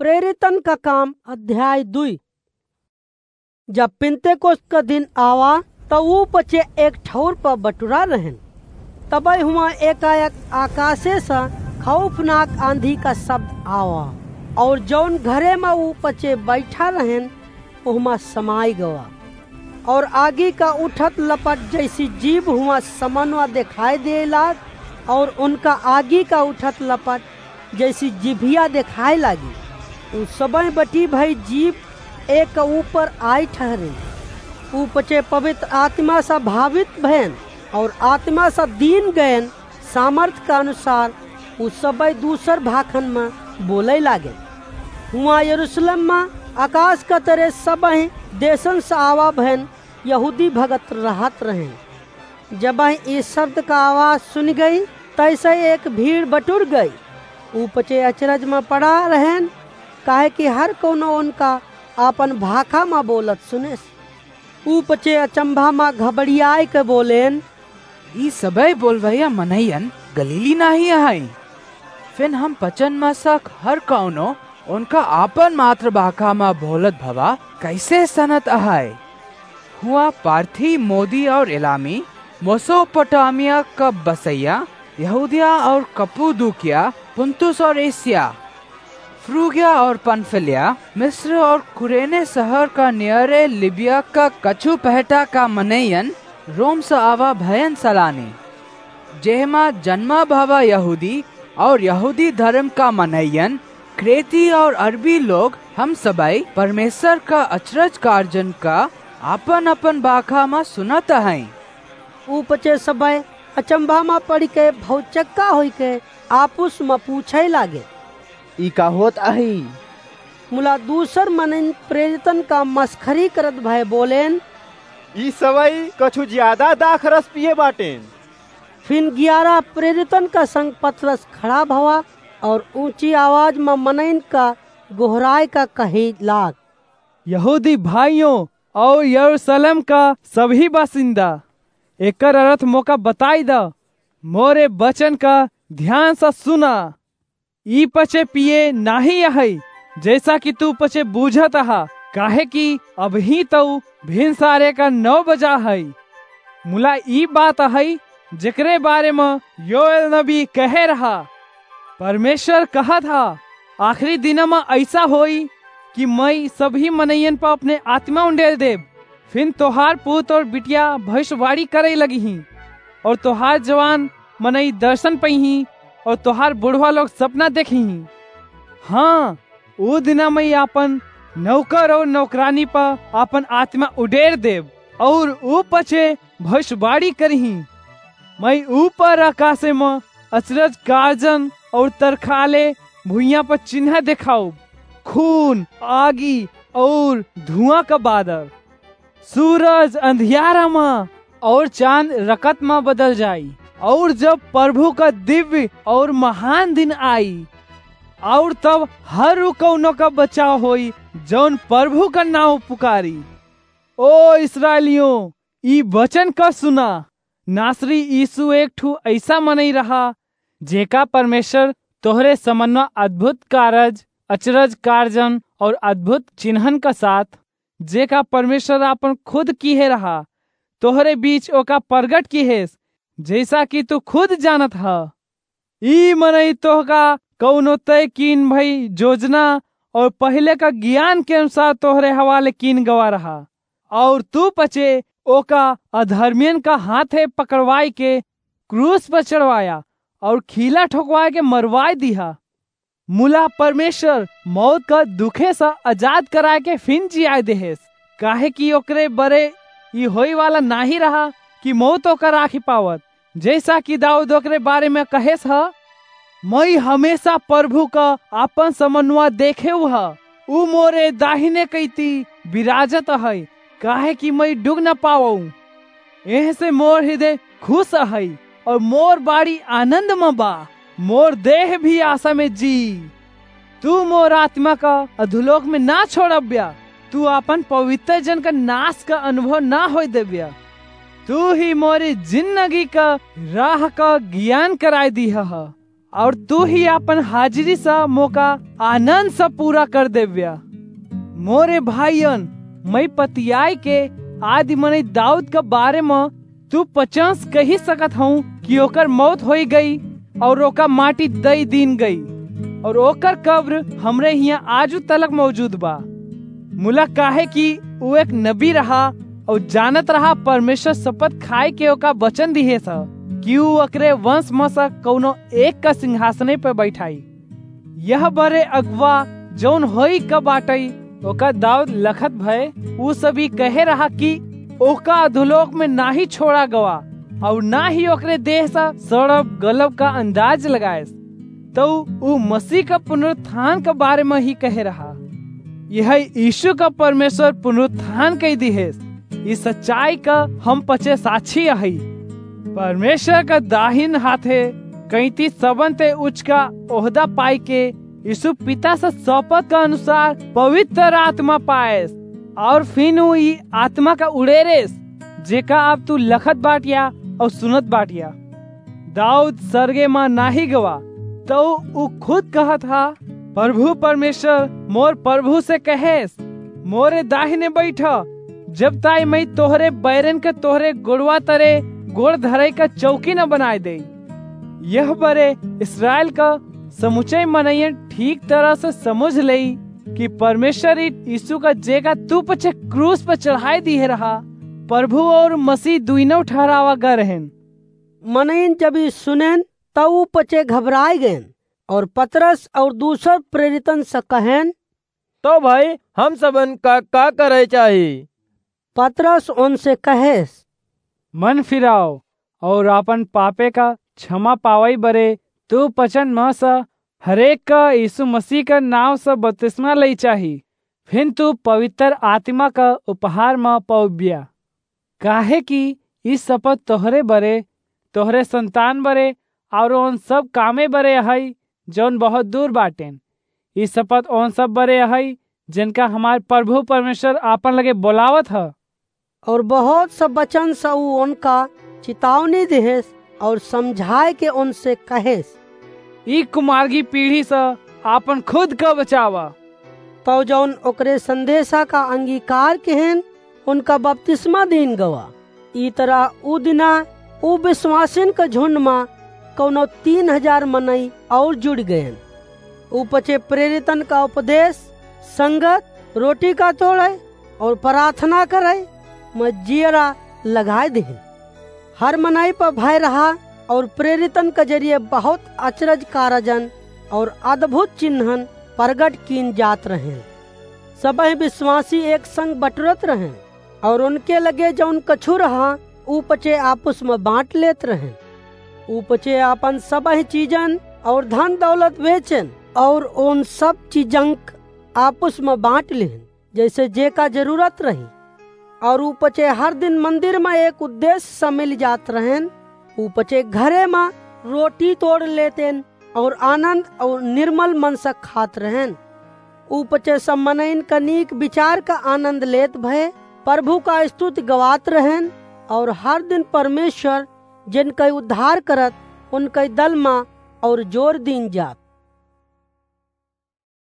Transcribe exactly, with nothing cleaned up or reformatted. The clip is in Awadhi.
प्रेरितन का काम अध्याय दुई। जब पिन्तेकोस्त का दिन आवा, त ऊ पचे एक ठौर पर बटुरा रहेन। तबई हुआं एकाएक आकाशे से खौफनाक आंधी का शब्द आवा, और जौन घरे में ऊ पचे बैठा रहेन, ओहमा समाई गवा। और आगी का उठत लपट जैसी जीभ हुआं समनवा देखाई दे लाग, और उनका आगी का उठत लपट जैसी जिभिया देखाए लागी। उ सबई बटी भई जीभ एक ऊपर आई ठहरे। उ पचे पवित्र आत्मा सा भावित भयन और आत्मा सा दीन गयन सामर्थ का अनुसार उ सबई दूसर भाखन में बोले लागे। हुआं यरूशलेम में आकाश का तरे सबई देशन से आवा भयन यहूदी भगत रहत रहें। जबहीं ई शब्द का आवाज सुनि गई, तैसई एक भीड़ बटुर गई। ऊ पचे अचरज में पड़ा रहेन, काहे कि हर कउनो उनका आपन भाखा में बोलत सुनेस। ऊ पचे अचंभा में घबड़ियाए के बोलेन, "ई सबई बोलवइया मनइयन गलीली नाहीं अहइँ? फिन हम पचन में सक हर कउनो उनका आपन मातृभाखा में बोलत भवा कइसे सनत अहइ?" हुआं पार्थी, मोदी और एलामी, मेसोपोटामिया का बसइया, यहूदिया और कप्पदोकिया, पुन्तुस और एसिया, फ्रूगिया और पन्फिलिया, मिस्र और कुरेने सहर का नियरे लिबिया का कछु पहटा का मनइयन रोम से आवा भयन सलानी। जेहमा जन्मा भवा यहूदी और यहूदी धरम का मनइयन, क्रेती और अरबी लोग, हम सबई परमेसर का अचरज कारजन का आपन-आपन भाखा मा सुनत अहइँ। ऊ पचे सबई अचंभा मा पड़िके भौचक्का होइके आपुस मा पूछइ लागे, "ई का होत अहइँ?" मुला दूसर मनइन प्रेरितन का मसखरी करत भए बोलेन, "ई सबई कछु ज्यादा दाखरस पिए बाटेन।" फिन ग्यारह प्रेरितन का संग पतरस खड़ा भवा और ऊँची आवाज मा मनइन का गोहराए का कहे लाग, "यहूदी भाइयों और यरूसलेम का सबही बासिन्दा, एकर अरथ मोका बताइ द, मोरे बचन का ध्यान सा सुना। ई पचे पिए नाहीं अहइ, जइसा कि तू पचे बूझत अहा, काहे कि अबहीं तउ भिनसारे का नौ बजा हइ। मुला ई बात अहइ, जेकरे बारे म योएल नबी कहे रहा, परमेसर कहत हा, आखिरी दिना म अइसा होई कि मइँ सबही मनइयन प अपने आत्मा उंडेल देब। फिन तोहार पूत और बिटिया भविष्यवाणी करइ लगिहीं, और तोहार जवान मनई दर्शन पइहीं, और तोहार बुढ़वा लोग सपना देखिहीं। हाँ, ऊ दिना मइँ आपन नौकर और नौकरानी प आपन आत्मा उडेर देब, और ऊ पचे भविष्यवाणी करिहीं। मइँ ऊपर आकासे म अचरज कारजन और तरखाले भुइयाँ प चिन्ह देखाउब, खून, आगी और धुआँ का बादर। सूरज अंधियारा मा और चाँद रकत मा बदल जाई, और जब प्रभु का दिव्य और महान दिन आई, और तब हर उ कउनो का बचाव होई, जउन प्रभु का नाउँ पुकारी। ओ इस्राएलियों, ई वचन का सुना, नासरी यीशु एक ठू अइसा मनई रहा, जेका परमेसर तोहरे समनवा अद्भुत कारज, अचरज कारजन और अद्भुत चिन्हन का साथ, जेका परमेसर आपन खुद किहे रहा, तोहरे बीच ओका परगट किहेस, जइसा कि तू खुद जानत ह। ई मनई तोहका कउनो तय कीन भई जोजना और पहिले का गियान के अनुसार तोहरे हवाले कीन गवा रहा, और तू पचे ओका अधर्मियन का हाथे पकड़वाइ के क्रूस पर चढ़वाया और खीला ठोकवाइ के मरवाइ दिहा। मुला परमेसर मौत का दुखे से आजाद कराइ के फिन जियाइ देहेस, काहे कि ओकरे बरे ई होइवाला नाहीं रहा कि मौत ओका राखी पावत। जइसा कि दाऊद ओकरे बारे म कहेस ह, "मइँ हमेसा प्रभु का आपन समनवा देखेउ ह, ऊ मोरे दाहिने कइती बिराजत अहइ, काहे कि मइँ डुग न पावउँ। एहसे मोर हृदय खुस अहइ, और मोर बाड़ी आनन्द म बा, मोर देह भी आसा म जी। तू मोर आत्मा का अधोलोक म ना छोड़ब्या, तू आपन पवित्र जन का नास का अनुभव ना होइ देब्या। तू ही मोरी जिन्नगी का राह का गियान कराइ दिहा ह, और तू ही आपन हाजिरी स मोका आनंद स पूरा कर देव्या। मोरे भाइयन, मैं पतियाई के आदि मनई दाऊद के बारे म तू पचास कही सकत हूँ कि ओकर मौत होई गई और ओका माटी दई दीन गई और ओकर कब्र हमरे हियाँ आजू तलक मौजूद बा। मुला काहे कि ऊ एक नबी रहा और जानत रहा परमेश्वर शपथ खाए के ओका वचन दिहे स कि ऊ ओकरे वंश म स कौनो एक का सिंहासने पे बैठाई। यह बरे अगुआ जौन होई क बाटई, ओका दाऊद लखत भय ऊ सभी कहे रहा कि ओका अधोलोक में ना ही छोड़ा गवा और ना ही ओकरे देह सा सड़ब गलब का अंदाज लगाएस। तो ऊ मसीह का पुनरुत्थान के बारे में ही कहे रहा। यह यीशु का परमेश्वर पुनरुत्थान कई दिहेस। इस सच्चाई का हम पचे साक्षी अहई। परमेश्वर का दाहिन हाथे कैंती सबन ते उच्च का ओहदा पाई के यीशु पिता से शपथ का अनुसार पवित्र आत्मा पाएस और फिर ऊ ई आत्मा का उड़ेरेस, जेका अब तू लखत बाटिया और सुनत बाटिया। दाऊद सरगे मा नाही गवा, तो ऊ खुद कहत हा, "प्रभु परमेश्वर मोर प्रभु से कहेस, मोरे दाहिने बैठ, जब ताई मैं तोहरे बैरन के तोहरे गोड़वा तरे गोड़ धरे का चौकी न बनाए दे।" यह बरे इस्राएल का समुचे मनयन ठीक तरह से समझ लेई कि परमेश्वर ई यीशु का जेका तू पछे क्रूस पर चढ़ाए दिए रहा, प्रभु और मसीह दुइनों ठहरावा ग रहन। मनयन जब ई सुनेन, तब ऊ पचे घबराए गएन और पतरस और दूसर प्रेरितन से कहेन, "तो भाई, हम सबन का, का करे चाही?" पतरस उनसे कहेस, "मन फिराओ और आपन पापे का क्षमा पावई बरे तू पचन म स हरेक का यीशु मसीह का नाव स बपतिस्मा लई चाही, फिर तू पवित्र आत्मा का उपहार म पौब्या। काहे कि ई शपथ तोहरे बरे, तोहरे संतान बरे और उन सब कामे बरे अहई, जौन बहुत दूर बाटेन। ई शपथ उन सब बरे अहई, जिनका हमार प्रभु परमेश्वर आपन लगे बोलावत ह।" और बहुत सब वचन से ऊ उनका चेतावनी देहेस और समझाए के उनसे कहेस, "ई कुमार्गी पीढ़ी से आपन खुद का बचावा।" तो जौन ओकरे संदेशा का अंगीकार केहेन, उनका बपतिस्मा दीन गवा। ई तरह ऊ दिना ऊ विश्वासिन का झुंड मा कौनो तीन हजार मनई और जुड़ गएन। ऊ पचे प्रेरितन का उपदेश, संगत, रोटी का तोड़े और प्रार्थना करे म जियरा लगाए देहेन। हर मनई पर भय रहा और प्रेरितन के जरिए बहुत अचरज कारजन और अद्भुत चिन्हन प्रगट कीन जात रहेन। सबही विश्वासी एक संग बटुरत रहेन और उनके लगे जौन कछु रहा, ऊ पचे आपस में बांट लेत रहेन। ऊ पचे आपन सबही चीजन और धन दौलत बेचेन और उन सब चीजन क आपस में बांट लेन, जैसे जेका जरूरत रही। और ऊ पचे हर दिन मंदिर में एक उद्देश्य से मिल जात रहेन। ऊ पचे घरे में रोटी तोड़ लेतेन और आनंद और निर्मल मन से खात रहेन। ऊ पचे सब मनइन का नीक विचार का आनंद लेत भए प्रभु का स्तुति गवात रहेन और हर दिन परमेश्वर जिनका उद्धार करत उनका दल मा और जोर दीन जात।